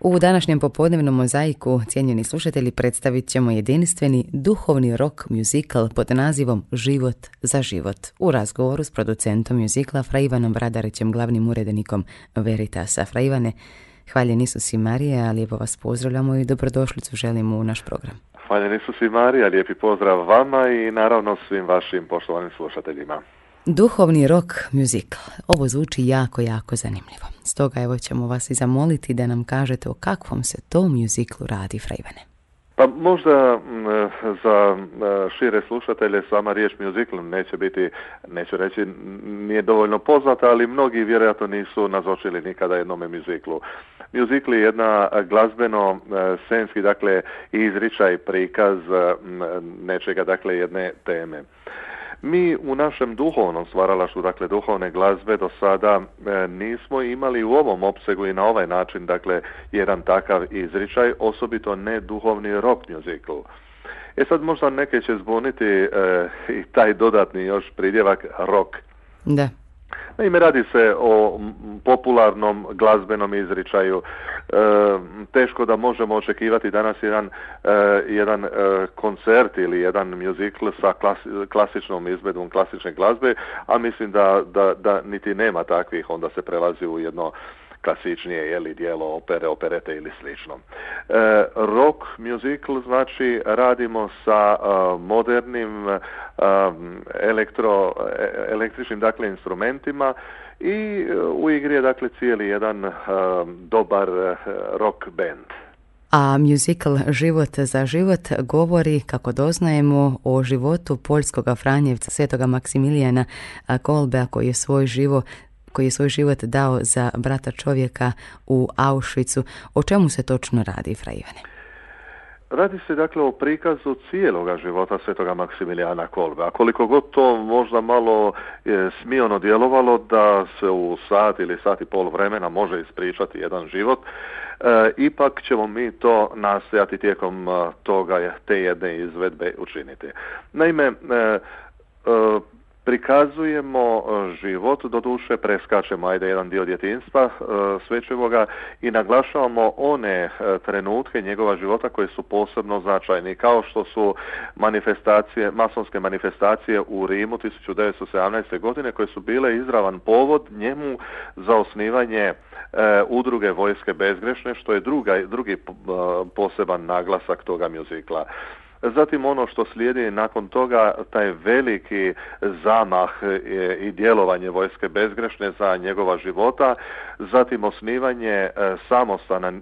U današnjem popodnevnom mozaiku, cijenjeni slušatelji, predstavit ćemo jedinstveni duhovni rock musical pod nazivom Život za život u razgovoru s producentom muzikla Fra Ivanom Bradarićem, glavnim urednikom Veritasa. Fra Ivane, hvaljen Isus i Marija, lijepo vas pozdravljamo i dobrodošlicu želimo u naš program. Hvaljen Isus i Marija, lijepi pozdrav vama i naravno svim vašim poštovanim slušateljima. Duhovni rock musical. Ovo zvuči jako zanimljivo. Stoga evo ćemo vas i zamoliti da nam kažete o kakvom se to musiclu radi, Fra Ivane. Pa možda za šire slušatelje sama riječ musical neće biti, neću reći, nije dovoljno poznata, ali mnogi vjerojatno nisu nazočili nikada jednome musiclu. Musical je jedna glazbeno scenski, dakle, izričaj, prikaz nečega, dakle, jedne teme. Mi u našem duhovnom stvaralaštvu, dakle duhovne glazbe, do sada nismo imali u ovom opsegu i na ovaj način, dakle, jedan takav izričaj, osobito ne duhovni rock musical. Sad možda neke će zbuniti i taj dodatni još pridjevak rock. Da. Naime, radi se o popularnom glazbenom izričaju. Teško da možemo očekivati danas jedan koncert ili jedan musical sa klasičnom izvedbom klasične glazbe, a mislim da niti nema takvih, onda se prelazi u jedno klasičnije dijelo opere, operete ili slično. Rock musical znači radimo sa modernim električnim, dakle, instrumentima i u igri je, dakle, cijeli jedan dobar rock band. A musical Život za život govori, kako doznajemo, o životu poljskoga Franjevca Svetoga Maksimilijana Kolbea koji je svoj život dao za brata čovjeka u Auschwitzu. O čemu se točno radi, Fra Ivane? Radi se, dakle, o prikazu cijeloga života Svetoga Maksimilijana Kolbea. Koliko god to možda malo smiono djelovalo da se u sat ili sat i pol vremena može ispričati jedan život, ipak ćemo mi to nastojati tijekom te jedne izvedbe učiniti. Naime, prikazujemo život, doduše preskačemo jedan dio djetinjstva Svećevoga i naglašavamo one trenutke njegova života koje su posebno značajni, kao što su masonske manifestacije u Rimu 1917. godine, koje su bile izravan povod njemu za osnivanje udruge Vojske bezgrešne, što je drugi poseban naglasak toga mjuzikla. Zatim ono što slijedi nakon toga, taj veliki zamah i djelovanje Vojske bezgrešne za njegova života, zatim osnivanje samostana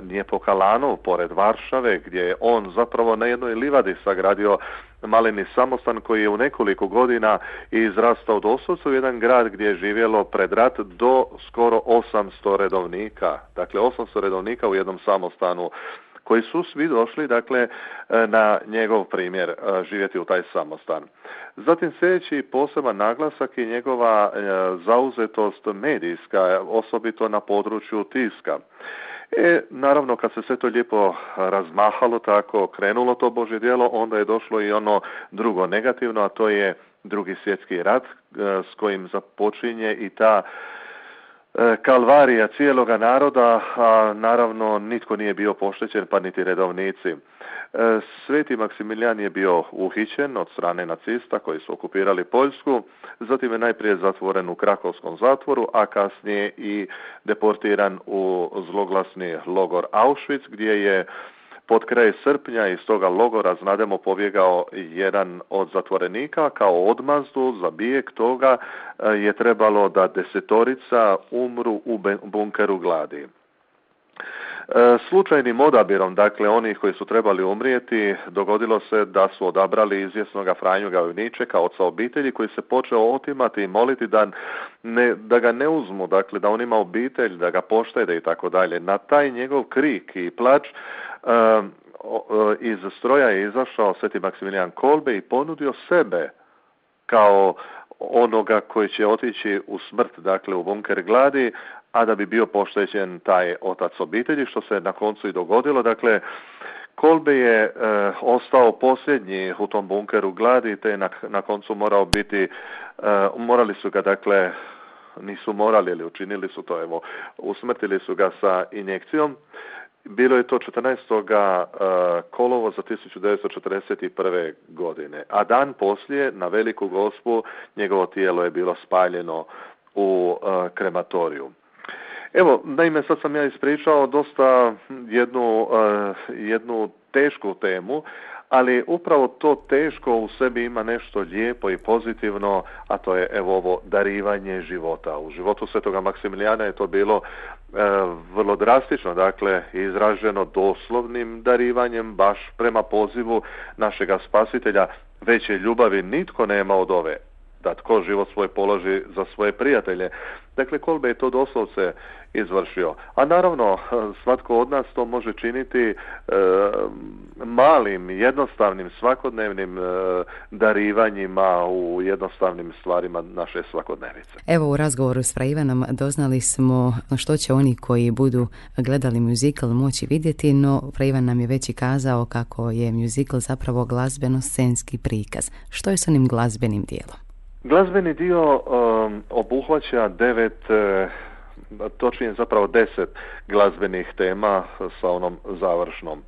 Njepokalanov pored Varšave, gdje je on zapravo na jednoj livadi sagradio maleni samostan koji je u nekoliko godina izrastao doslovce u jedan grad gdje je živjelo pred rat do skoro 800 redovnika. Dakle, 800 redovnika u jednom samostanu, koji su svi došli, dakle, na njegov primjer živjeti u taj samostan. Zatim sljedeći poseban naglasak je njegova zauzetost medijska, osobito na području tiska. Naravno, kad se sve to lijepo razmahalo, tako krenulo to Božje djelo, onda je došlo i ono drugo negativno, a to je Drugi svjetski rat, s kojim započinje i ta kalvarija cijeloga naroda, a naravno nitko nije bio poštećen, pa niti redovnici. Sveti Maksimilijan je bio uhićen od strane nacista koji su okupirali Poljsku, zatim je najprije zatvoren u Krakovskom zatvoru, a kasnije i deportiran u zloglasni logor Auschwitz, gdje je pod kraj srpnja iz toga logora znademo pobjegao jedan od zatvorenika. Kao odmazdu za bijeg toga je trebalo da 10 umru u bunkeru gladi. Slučajnim odabirom, dakle onih koji su trebali umrijeti, dogodilo se da su odabrali izvjesnoga Franju Gaviničeka, oca obitelji, koji se počeo otimati i moliti da ga ne uzmu, dakle da on ima obitelj, da ga poštede i tako dalje. Na taj njegov krik i plač iz stroja je izašao Sveti Maksimilijan Kolbe i ponudio sebe kao onoga koji će otići u smrt, dakle u bunker gladi, a da bi bio poštećen taj otac obitelji, što se na koncu i dogodilo. Dakle, Kolbe je ostao posljednji u tom bunkeru gladi, te na koncu morali su ga, dakle, nisu morali, ali učinili su to, usmrtili su ga sa injekcijom. Bilo je to 14. kolovoza 1941. godine, a dan poslije na Veliku Gospu njegovo tijelo je bilo spaljeno u krematoriju. Evo, naime, sad sam ja ispričao dosta jednu tešku temu, ali upravo to teško u sebi ima nešto lijepo i pozitivno, a to je evo ovo darivanje života. U životu Svetoga Maksimilijana je to bilo vrlo drastično, dakle izraženo doslovnim darivanjem baš prema pozivu našega Spasitelja. Veće ljubavi nitko nema od ove, da tko život svoj položi za svoje prijatelje. Dakle, Kolbe je to doslovce izvršio. A naravno, svatko od nas to može činiti malim, jednostavnim, svakodnevnim darivanjima u jednostavnim stvarima naše svakodnevice. Evo, u razgovoru s Fra Ivanom doznali smo što će oni koji budu gledali muzikal moći vidjeti, no Fra Ivan nam je već i kazao kako je muzikal zapravo glazbeno-scenski prikaz. Što je s onim glazbenim dijelom? Glazbeni dio obuhvaća 10 glazbenih tema sa onom završnom.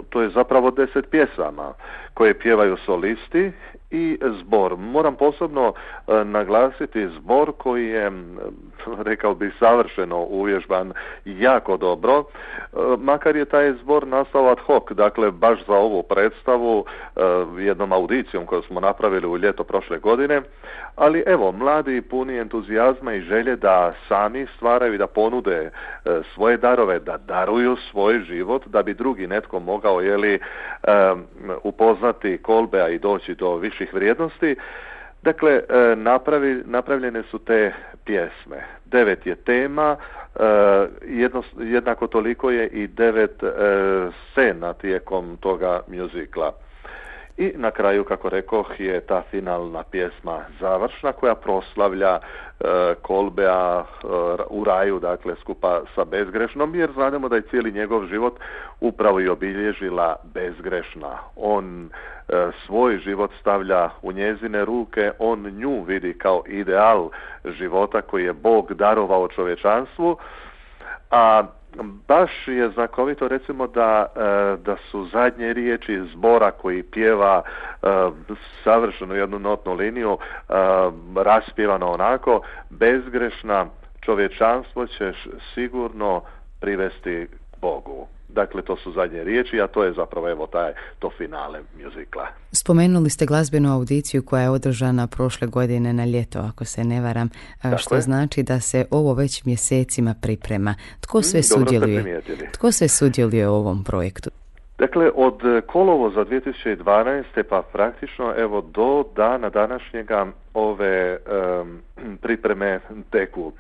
To je zapravo 10 pjesama koje pjevaju solisti i zbor. Moram posebno naglasiti zbor koji je, rekao bih, savršeno uvježban jako dobro, makar je taj zbor nastao ad hoc, dakle baš za ovu predstavu, jednom audicijom koju smo napravili u ljeto prošle godine, ali evo, mladi i puni entuzijazma i želje da sami stvaraju i da ponude svoje darove, da daruju svoj život, da bi drugi netko mogao upoznati Kolbea i doći do viših vrijednosti. Dakle, napravljene su te pjesme. 9 je tema, jednako toliko je i 9 scena tijekom toga mjuzikla. I na kraju, kako rekoh, je ta finalna pjesma završna koja proslavlja Kolbea u raju, dakle skupa sa bezgrešnom, jer znamo da je cijeli njegov život upravo i obilježila bezgrešna. On svoj život stavlja u njezine ruke, on nju vidi kao ideal života koji je Bog darovao čovječanstvu, a baš je znakovito recimo da su zadnje riječi zbora koji pjeva savršenu jednu notnu liniju, raspjevano onako: bezgrešna, čovječanstvo ćeš sigurno privesti Bogu. Dakle, to su zadnje riječi, a to je zapravo evo to finale mjuzikla. Spomenuli ste glazbenu audiciju koja je održana prošle godine na ljeto, ako se ne varam, što znači da se ovo već mjesecima priprema. Tko sve sudjeluje u ovom projektu? Dakle, od kolovoza 2012. pa praktično evo do dana današnjega ove pripreme teku.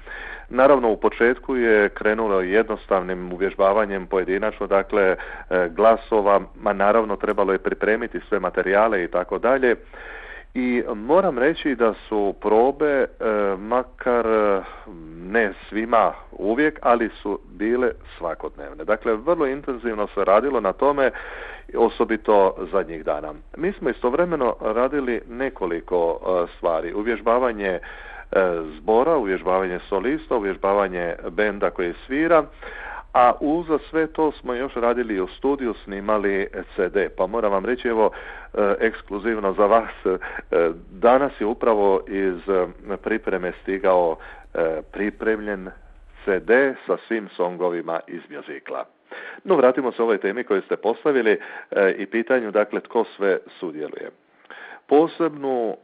Naravno, u početku je krenulo jednostavnim uvježbavanjem pojedinačno, dakle glasova, naravno trebalo je pripremiti sve materijale i tako dalje. I moram reći da su probe, makar ne svima uvijek, ali su bile svakodnevne. Dakle, vrlo intenzivno se radilo na tome, osobito zadnjih dana. Mi smo istovremeno radili nekoliko stvari. Uvježbavanje zbora, uvježbavanje solista, uvježbavanje benda koji svira, a uza sve to smo još radili u studiju, snimali CD. Pa moram vam reći, evo, ekskluzivno za vas, danas je upravo iz pripreme stigao pripremljen CD sa svim songovima iz mjuzikla. No, vratimo se ovoj temi koju ste postavili i pitanju, dakle, tko sve sudjeluje. Posebnu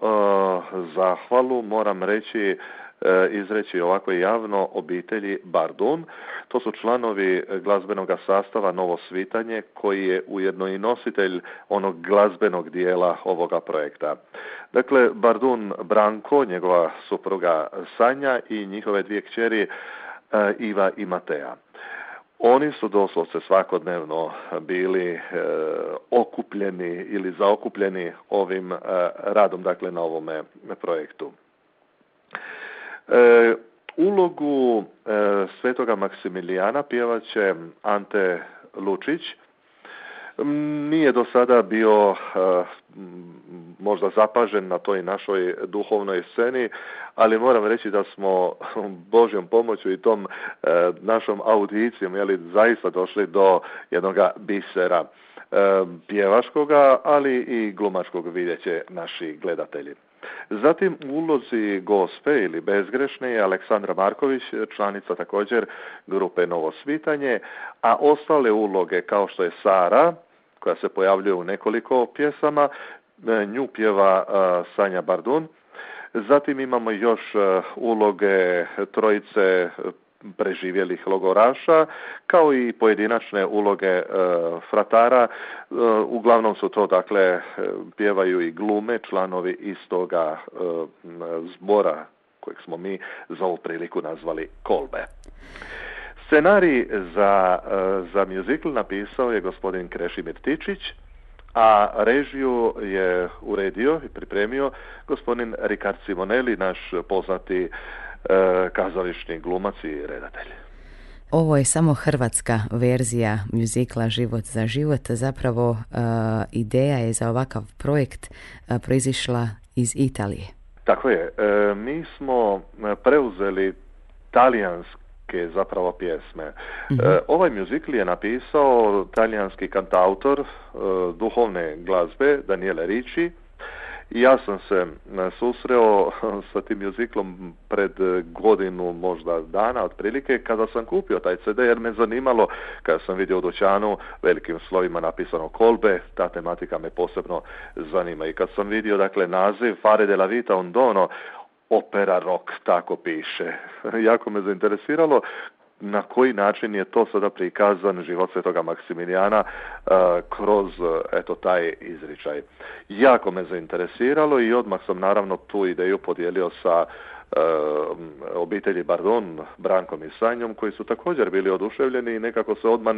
zahvalu moram izreći ovako javno obitelji Bardun. To su članovi glazbenog sastava Novo svitanje, koji je ujedno i nositelj onog glazbenog dijela ovoga projekta. Dakle, Bardun Branko, njegova supruga Sanja i njihove dvije kćeri Iva i Mateja. Oni su doslovce svakodnevno bili okupljeni ili zaokupljeni ovim radom, dakle, na ovome projektu. Ulogu Svetoga Maksimilijana pjevat će Ante Lučić. Nije do sada bio možda zapažen na toj našoj duhovnoj sceni, ali moram reći da smo Božjom pomoću i tom našom audicijom zaista došli do jednog bisera pjevačkoga, ali i glumačkog, vidjet će naši gledatelji. Zatim u ulozi gospe ili bezgrešne je Aleksandra Marković, članica također grupe Novo svitanje, a ostale uloge kao što je Sara, koja se pojavljuje u nekoliko pjesama, nju pjeva Sanja Bardun. Zatim imamo još uloge trojice preživjelih logoraša, kao i pojedinačne uloge fratara. Uglavnom su to, dakle, pjevaju i glume članovi istoga zbora kojeg smo mi za ovu priliku nazvali Kolbe. Scenarij za muzikl napisao je gospodin Krešimir Tičić, a režiju je uredio i pripremio gospodin Ricard Simonelli, naš poznati kazališni glumac i redatelj. Ovo je samo hrvatska verzija muzikla Život za život. Zapravo ideja je za ovakav projekt proizišla iz Italije. Tako je. Mi smo preuzeli talijanske zapravo pjesme. Ovaj muzikl je napisao talijanski kantautor duhovne glazbe Daniele Ricci. Ja sam se susreo sa tim muziklom pred godinu, možda dana, otprilike, kada sam kupio taj CD, jer me zanimalo, kada sam vidio u dućanu velikim slovima napisano Kolbe, ta tematika me posebno zanima. I kad sam vidio, dakle, naziv Fare della vita un dono, opera rock, tako piše. Jako me zainteresiralo na koji način je to sada prikazan život svetoga Maksimilijana kroz taj izričaj. Jako me zainteresiralo i odmah sam naravno tu ideju podijelio sa obitelji Bardon, Brankom i Sanjom, koji su također bili oduševljeni i nekako se odmah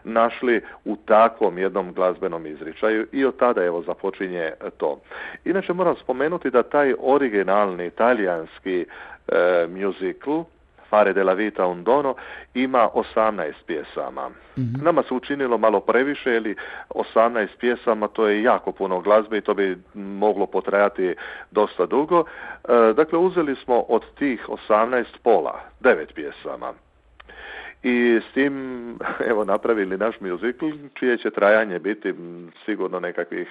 našli u takvom jednom glazbenom izričaju i od tada evo započinje to. Inače moram spomenuti da taj originalni talijanski muzikl Fare della vita un dono ima 18 pjesama. Nama se učinilo malo previše, ili 18 pjesama, to je jako puno glazbe i to bi moglo potrajati dosta dugo. Dakle, uzeli smo od tih 18 pola, 9 pjesama. I s tim, evo, napravili naš muzikl, čije će trajanje biti sigurno nekakvih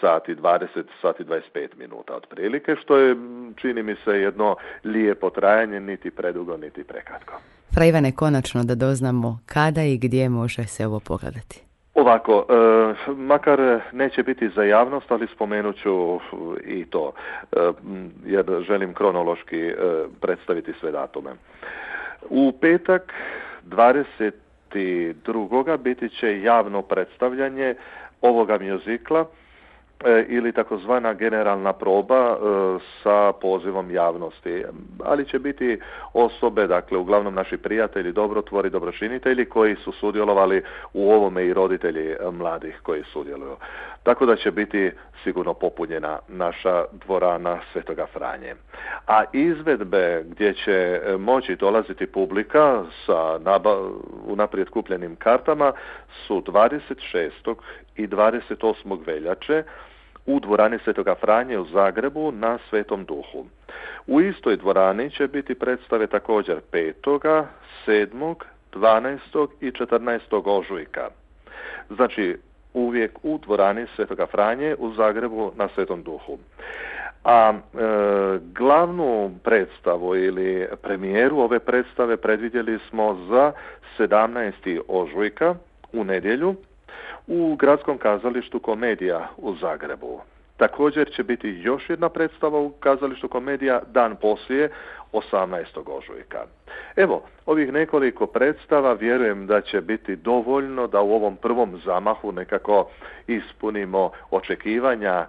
sati 20, sati 25 minuta otprilike, što je, čini mi se, jedno lijepo trajanje, niti predugo, niti prekratko. Fra Ivane, konačno da doznamo kada i gdje može se ovo pogledati. Ovako, makar neće biti za javnost, ali spomenut ću i to, jer želim kronološki predstaviti sve datume. U petak 22. biti će javno predstavljanje ovoga muzikla ili takozvana generalna proba sa pozivom javnosti. Ali će biti osobe, dakle uglavnom naši prijatelji, dobrotvori, dobročinitelji koji su sudjelovali u ovome i roditelji mladih koji sudjeluju. Tako da će biti sigurno popunjena naša dvorana Svetoga Franje. A izvedbe gdje će moći dolaziti publika sa unaprijed kupljenim kartama su 26. i 28. veljače u dvorani Svetoga Franje u Zagrebu na Svetom Duhu. U istoj dvorani će biti predstave također 5., 7., 12. i 14. ožujka. Znači, uvijek u dvorani Svetoga Franje u Zagrebu na Svetom Duhu. A glavnu predstavu ili premijeru ove predstave predvidjeli smo za 17. ožujka u nedjelju u Gradskom kazalištu Komedija u Zagrebu. Također će biti još jedna predstava u kazalištu Komedija dan poslije, 18. ožujka. Evo, ovih nekoliko predstava vjerujem da će biti dovoljno da u ovom prvom zamahu nekako ispunimo očekivanja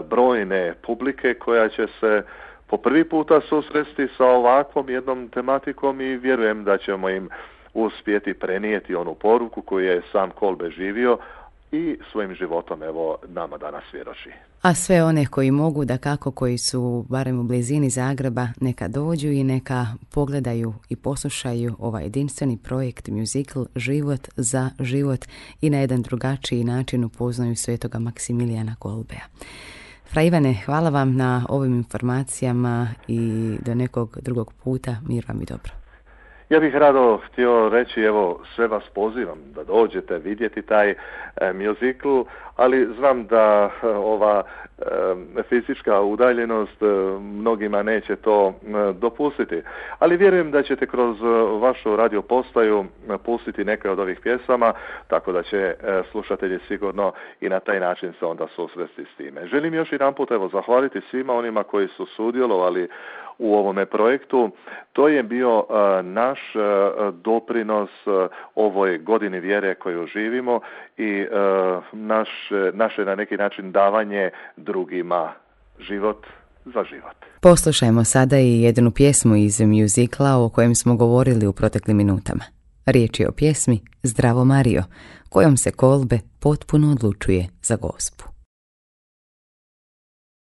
brojne publike koja će se po prvi puta susresti sa ovakvom jednom tematikom i vjerujem da ćemo im uspjeti prenijeti onu poruku koju je sam Kolbe živio, i svojim životom evo nama danas svjedoči. A sve one koji mogu, dakako koji su barem u blizini Zagreba, neka dođu i neka pogledaju i poslušaju ovaj jedinstveni projekt Musical Život za život i na jedan drugačiji način upoznaju svetoga Maksimilijana Kolbea. Fra Ivane, hvala vam na ovim informacijama i do nekog drugog puta. Mir vam i dobro. Ja bih rado htio reći, evo, sve vas pozivam da dođete vidjeti taj musical, ali znam da ova fizička udaljenost mnogima neće to dopustiti. Ali vjerujem da ćete kroz vašu radio postaju pustiti neke od ovih pjesama, tako da će slušatelji sigurno i na taj način se onda susresti s time. Želim još jedanput evo zahvaliti svima onima koji su sudjelovali u ovome projektu. To je bio naš doprinos ovoj godini vjere koju živimo i naše na neki način davanje drugima, život za život. Poslušajmo sada i jednu pjesmu iz muzikla o kojem smo govorili u proteklim minutama. Riječ je o pjesmi Zdravo Mario, kojom se Kolbe potpuno odlučuje za Gospu.